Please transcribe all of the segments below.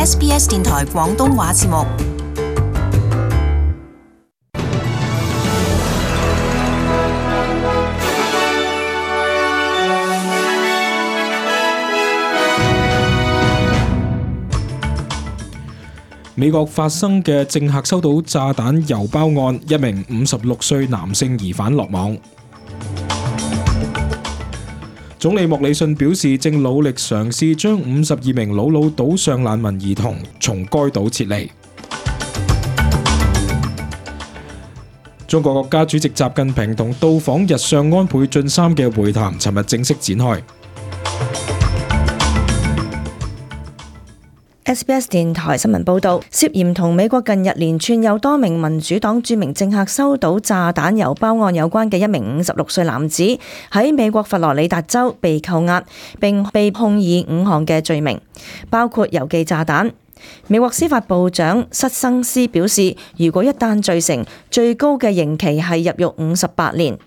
SBS 電台廣東話節目。美國發生嘅政客收到炸彈郵包案，一名56歲男性疑犯落網。總理莫里遜表示，正努力嘗試將52名魯魯島上難民兒童從該島撤離。中國國家主席習近平同到訪日上安倍晉三嘅會談，尋日正式展開。SBS 電台新聞報道，涉嫌同美國近日連串有多名民主黨著名政客收到炸彈郵包案有關嘅一名56歲男子，喺美國佛羅里達州被扣押，並被控以5項嘅罪名，包括郵寄炸彈。美國司法部長塞申斯表示，如果一旦罪成，最高嘅刑期係入獄58年。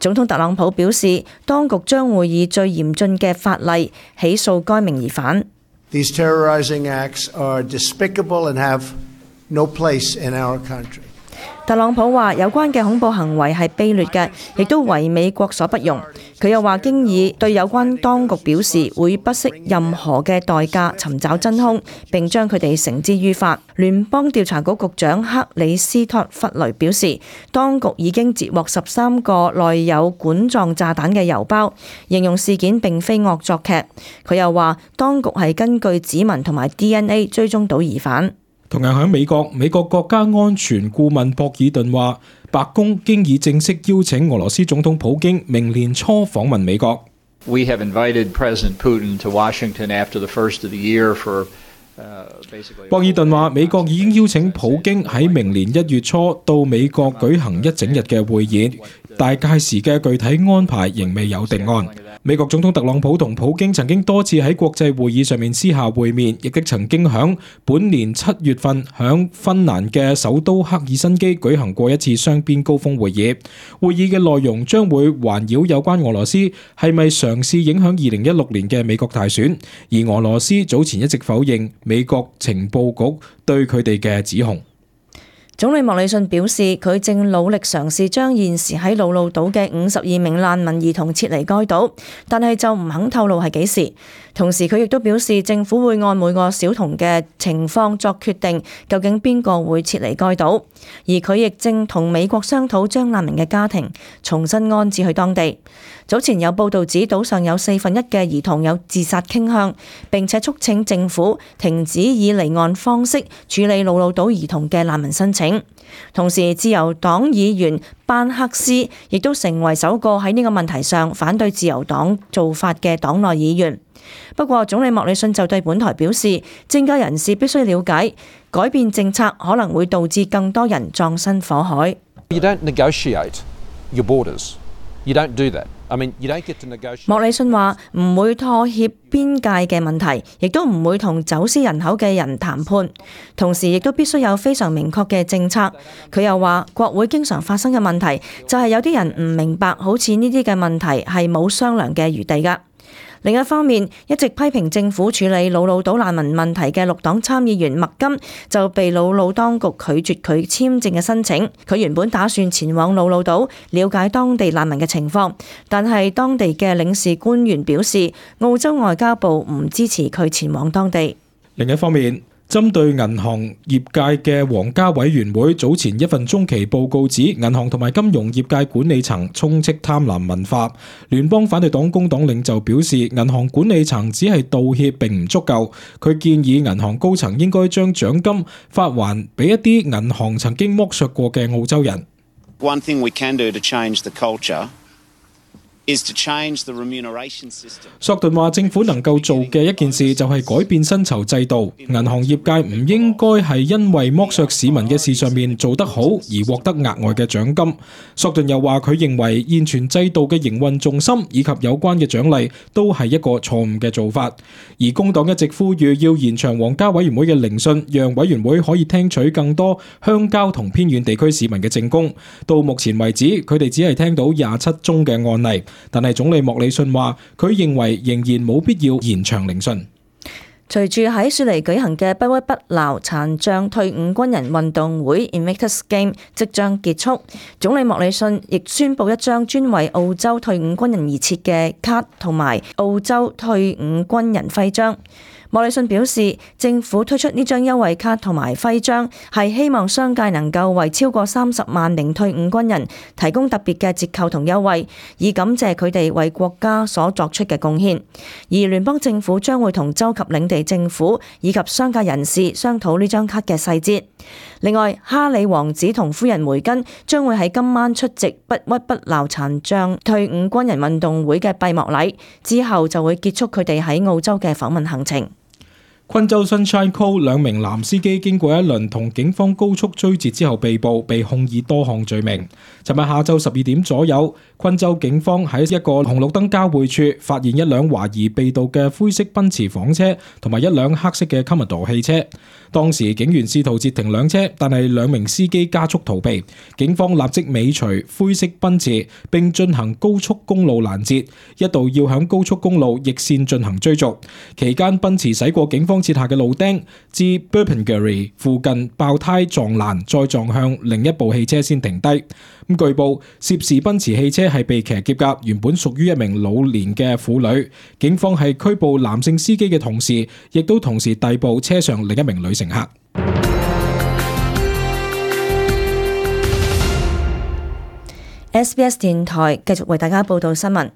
總統特朗普表示，當局將會以最嚴峻嘅法例起訴該名疑犯。These terrorizing acts are despicable and have no place in our country. 特朗普話有關嘅恐怖行為係卑劣嘅，亦都為美國所不容。佢又話經已對有關當局表示會不惜任何嘅代價尋找真兇，並將佢哋繩之於法。聯邦調查局局長克里斯托弗雷表示，當局已經截獲13個內有管狀炸彈嘅郵包，形容事件並非惡作劇。佢又話當局係根據指紋同埋 DNA 追蹤到疑犯。同樣喺美國國家安全顧問博爾頓話，白宮經已正式邀請俄羅斯總統普京明年初訪問美國。We have invited President Putin to Washington after the first of the year for博爾頓話，美國已經邀請普京喺明年1月初到美國舉行一整日嘅會議，但屆時嘅具體安排仍未有定案。美國總統特朗普同普京曾經多次喺國際會議上面私下會面，亦都曾經響本年7月份響芬蘭嘅首都赫爾辛基舉行過一次雙邊高峰會議。會議嘅內容將會環繞有關俄羅斯係咪嘗試影響2016年嘅美國大選，而俄羅斯早前一直否認美國情報局對佢哋嘅指控。總理莫里遜表示，佢正努力嘗試將現時喺魯魯島嘅52名難民兒童撤離該島，但係就唔肯透露係幾時。同時佢亦都表示，政府會按每個小童嘅情況作決定，究竟邊個會撤離該島。而佢亦正同美國商討將難民嘅家庭重新安置去當地。早前有報道指島上有1/4嘅兒童有自殺傾向，並且促請政府停止以離岸方式處理魯魯島兒童嘅難民申請。同時，自由黨議員班克斯亦都成為首個喺呢個問題上反對自由黨做法嘅黨內議員。不過，總理莫里遜就對本台表示，政界人士必須了解，改變政策可能會導致更多人葬身火海。You don't negotiate your borders. You don't do that. I mean, you don't get to negotiate. 莫里遜話唔會妥協邊界嘅問題，亦都唔會同走私人口嘅人談判，同時亦都必須有非常明確嘅政策。佢又話，國會經常發生嘅問題就係有啲人唔明白，好似呢啲嘅問題係冇商量嘅餘地㗎。另一方面，一直批評政府處理魯魯島難民問題嘅綠黨參議員麥金就被魯魯當局拒絕佢簽證嘅申請。佢原本打算前往魯魯島了解當地難民嘅情況，但係當地嘅領事官員表示，澳洲外交部唔支持佢前往當地。另一方面，針對銀行業界嘅皇家委員會早前一份中期報告指，銀行同埋金融業界管理層充斥貪婪文化。聯邦反對黨工黨領袖表示，銀行管理層只係道歉並唔足夠。佢建議銀行高層應該將獎金發還俾一啲銀行曾經剝削過嘅澳洲人。One thing we can do to change the culture is to change the remuneration system. 索頓話，政府能夠做嘅一件事就係改變薪酬制度。銀行業界唔應該係因為剝削市民嘅事上面做得好而獲得額外嘅獎金。索頓又話，佢認為現存制度嘅營運重心以及有關嘅獎勵都係一個錯誤嘅做法。而工黨一直呼籲要延長皇家委員會嘅聆訊，讓委員會可以聽取更多鄉郊同偏遠地區市民嘅證供。到目前為止，佢哋只係聽到27宗嘅案例。但係總理莫里遜話，佢認為仍然冇必要延長聆訊。隨住喺雪梨舉行嘅不屈不撓殘障退伍軍人運動會 Invictus Games 即將結束，總理莫里遜亦宣布一張專為澳洲退伍軍人而設嘅卡同埋澳洲退伍軍人徽章。莫里遜表示，政府推出呢張優惠卡同埋徽章，係希望商界能夠為超過30萬名退伍軍人提供特別嘅折扣同優惠，以感謝佢哋為國家所作出嘅貢獻。而聯邦政府將會同州及領地政府以及商界人士商討呢張卡嘅細節。另外，哈里王子同夫人梅根將會喺今晚出席不屈不撓殘障退伍軍人運動會嘅閉幕禮，之後就會結束佢哋喺澳洲嘅訪問行程。昆州 Sunshine Coast 兩名男司機經過一輪同警方高速追截之後被捕，被控以多項罪名。尋日下晝12點左右，昆州警方喺一個紅綠燈交匯處發現一輛懷疑被盜嘅灰色奔馳房車同埋一輛黑色嘅 Commodore 汽車。當時警員試圖截停兩車，但係兩名司機加速逃避，警方立即尾隨灰色奔馳並進行高速公路攔截，一度要響高速公路逆線進行追逐。期間奔馳駛過警方設下嘅路釘，至 Burpengary 附近爆胎撞欄，再撞向另一部汽車先停低。據報涉事奔馳汽車係被騎劫㗎，原本屬於一名老年嘅婦女。警方係拘捕男性司機嘅同時，亦都同時逮捕車上另一名女乘客。SBS 電台繼續為大家報道新聞。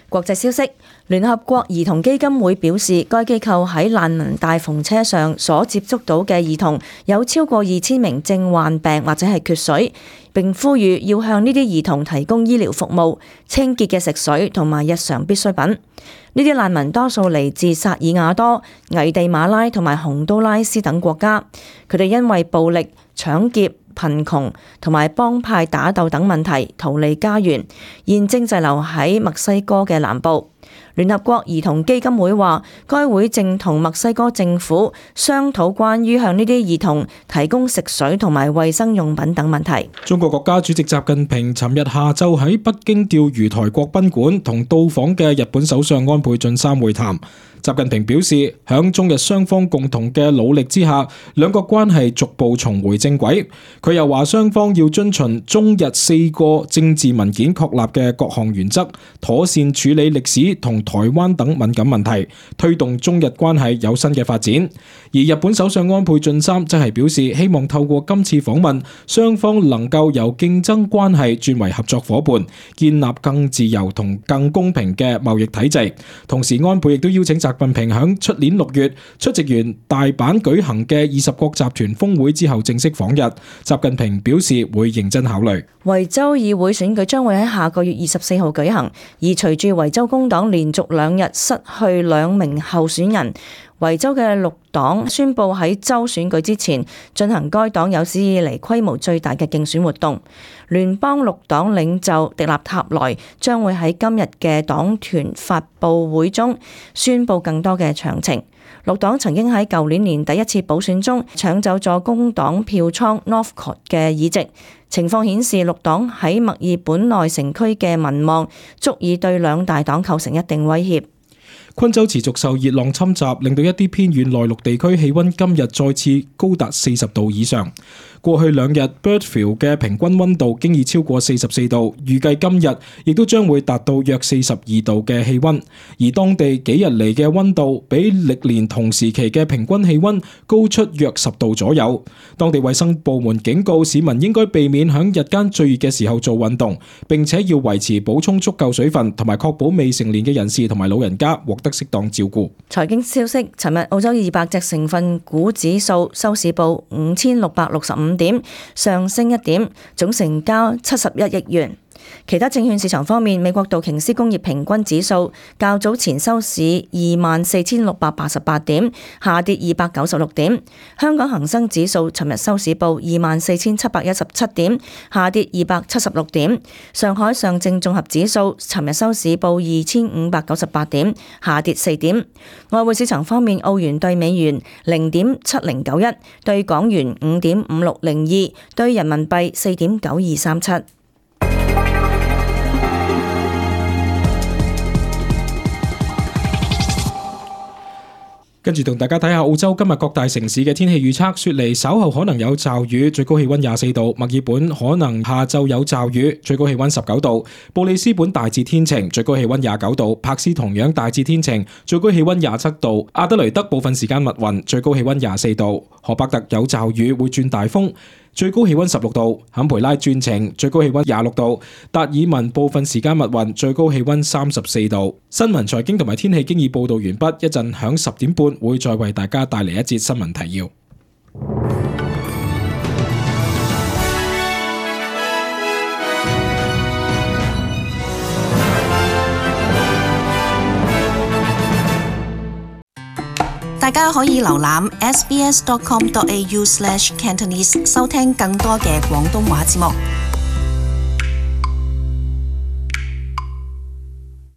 國際消息，聯合國兒童基金會表示，該機構喺難民大篷車上所接觸到嘅兒童有超過2000名正患病或者係缺水，並呼籲要向呢啲兒童提供醫療服務、清潔嘅食水同埋日常必需品。呢啲難民多數嚟自薩爾瓦多、危地馬拉同埋洪都拉斯等國家，佢哋因為暴力、搶劫、貧窮同埋幫派打鬥等問題逃離家園，現正滯留喺墨西哥嘅南部。聯合國兒童基金會話，該會正同墨西哥政府商討關於向呢啲兒童提供食水同埋衛生用品等問題。中國國家主席習近平尋日下晝喺北京釣魚台國賓館同到訪嘅日本首相安倍晉三會談。習近平表示，響中日雙方共同嘅努力之下，兩國關係逐步重回正軌。佢又話，雙方要遵循中日4個政治文件確立嘅各項原則，妥善處理歷史同台灣等敏感問題，推動中日關係有新嘅發展。而日本首相安倍晉三則係表示，希望透過今次訪問，雙方能夠由競爭關係轉為合作夥伴，建立更自由同更公平嘅貿易體制。同時，安倍亦都邀請習近平喺出年6月出席完大阪舉行嘅20國集團峰會之後正式訪日。習近平表示會認真考慮。維州議會選舉將會喺下個月24號舉行，而隨住維州工黨連續2日失去2名候選人，維州嘅綠黨宣布喺州選舉之前進行該黨有史以嚟規模最大嘅競選活動。聯邦綠黨領袖迪納塔萊將會喺今日嘅黨團發佈會中宣布更多嘅詳情。綠黨曾經喺舊年年底一次補選中搶走咗工黨票倉 Northcote 嘅議席，情況顯示綠黨喺墨爾本內城區嘅民望足以對兩大黨構成一定威脅。昆州持續受熱浪侵襲，令到一啲偏遠內陸地區氣溫今日再次高達40度以上。過去2日 Birdfield 嘅平均溫度經已超過44度，預計今日亦都將會達到約42度嘅氣溫。而當地幾日嚟嘅溫度比歷年同時期嘅平均氣溫高出約10度左右。當地衛生部門警告市民應該避免響日間最熱嘅時候做運動，並且要維持補充足夠水分，同埋確保未成年嘅人士同埋老人家獲得適當照顧。財經消息，尋日澳洲200隻成分股指數收市報5665點，上升1點，總成交71億元。其他證券市場方面，美國道瓊斯工業平均指數較早前收市24,688點，下跌296點。香港恒生指數尋日收市報24,717點，下跌276點。上海上證綜合指數尋日收市報2,598點，下跌4點。外匯市場方面，澳元對美元0.7091，對港元5.5602，對人民幣4.9237。跟住同大家睇下澳洲今日各大城市嘅天氣預測。雪梨稍後可能有驟雨，最高氣溫24度；墨爾本可能下晝有驟雨，最高氣溫19度；布里斯本大致天晴，最高氣溫29度；柏斯同樣大致天晴，最高氣溫27度；阿德雷德部分時間密雲，最高氣溫24度；荷伯特有驟雨，會轉大風，最高氣溫16度；坎培拉轉晴，最高氣溫26度；達爾文部分時間密雲，最高氣溫34度。新聞、財經同埋天氣經已報道完畢，一陣響10點半會再為大家帶嚟一節新聞提要。大家可以瀏覽 sbs.com.au/cantonese 收聽更多嘅廣東話節目。